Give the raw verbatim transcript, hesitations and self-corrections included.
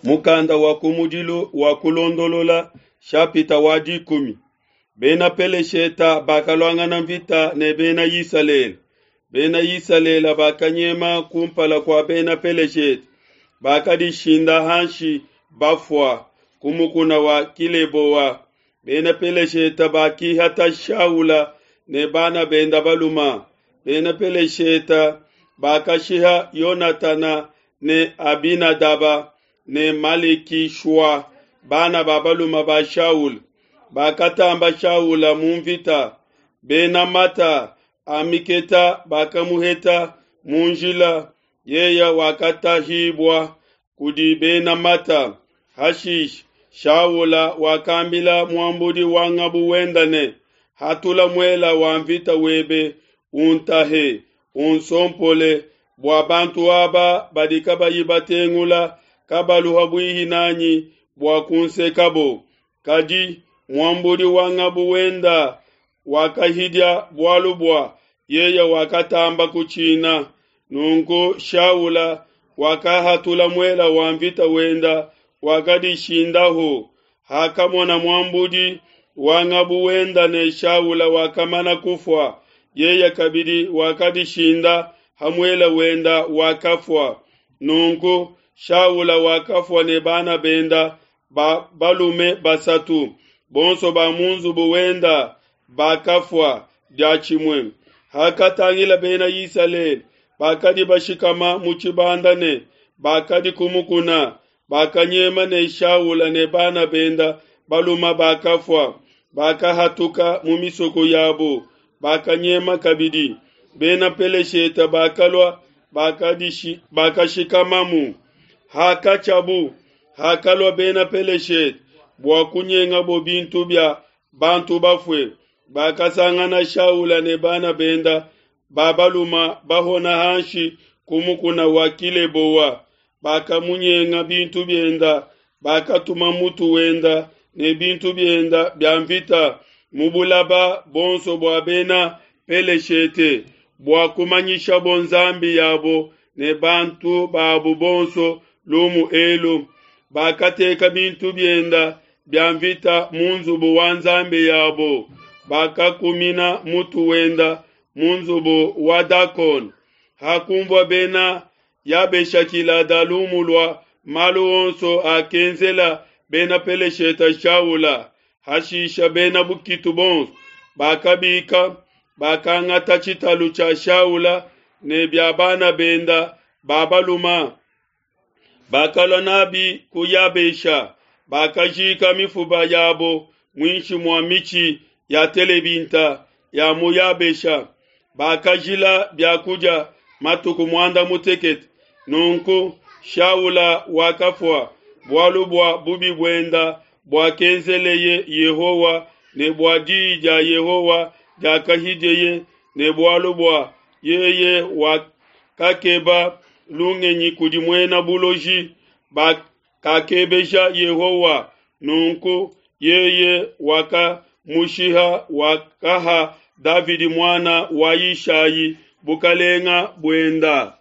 Mukanda wa kumudilu wa kulondolola shapita wa dikumi. Bena Pelesheta bakaluangana mvita ne bena Isalele. Bena Isalele bakanyema kumpala kua bena Pelesheta, bakadishinda hanshi bafua ku mukuna wa Kileboa. Bena Pelesheta bakihata Shaula ne bana benda baluma. Bena Pelesheta bakashiha Yonatana ne Abinadaba ne Malekishua, bana ba baluma ba Shaula. Bakatamba Shaula mu mvita. Bena mata a miketa bakamuheta mu njila, yeye wakatahibua kudi bena mata. Hashishe Shaula wakambila muambudi wa ngabu wenda ne, Hatula muela wa mvita webe, untahe, unsompole, bua bantu aba badi kabayi batengula kabalu ha buihi n'anyi bua kunsekabo. Kadi muambudi wa ngabu wenda wakahidia bualu bua yeye wakatamba kutshina. Nunku Shaula wakahatula muela wa mvita wenda, wakadishindahu. Hakamona muambudi wa ngabu wenda ne Shaula wakamana kufua, yeye kabidi wakadishinda ha muele wenda, wakafua. Nunku Shaula wakafua ne bana benda ba balume basatu, bonso ba mu nzubu wenda bakafua diatshimue. Hakatangila Bena Isalele bakadi bashikama mu tshibanda ne bakadi ku mukuna, bakanyema ne Shaula ne bana benda baluma bakafua, bakahatuka mu misoko yabo, bakanyema kabidi. Bena Pelesheta bakalua bakadishi bakashikamamu. Hakatshiabu, hakalua Bena Pelesheta bua kunyengabo bintu bia bantu bafue, bakasangana Shaula ne bana benda ba baluma bahona hanshi ku mukuna wa Kileboa. Bakamunyenga bintu bienda, bakatuma mutu wenda ne bintu bienda bia mvita mu bulaba bonso bua Bena Peleshete, bua kumanyishabo nzambi yabo ne bantu babu bonso lumu elu. Bakateka bintu bienda bia mvita mu nzubu wa nzambi yabo, bakakumina mutu wenda mu nzubu wa Dakon. Hakumvua Bena Yabeshakilada lumu lua malu onso akenzela Bena Pelesheta Shaula, hashisha bena bukitu bonso bakabika, bakangata tshitalu tshia Shaula ne bia bana benda ba baluma, bakalua nabi ku Yabesha, bakajika mifuba yabo muinshi mua mitshi ya telebinta ya mu Yabesha. Bakajila biakudia matuku muanda mutekete. Nunku Shaula wakafua bualu bua bubi buenda buakenzeleye Yehowa ne bua diyi dia Yehowa diakahidieye, ne bualu bua yeye wakakeba lungenyi kudi muena buloji, bakakebeja Yehowa. Nunku yeye wakamushiha, wakaha Davidi muana wa Yishayi bukalenga buenda.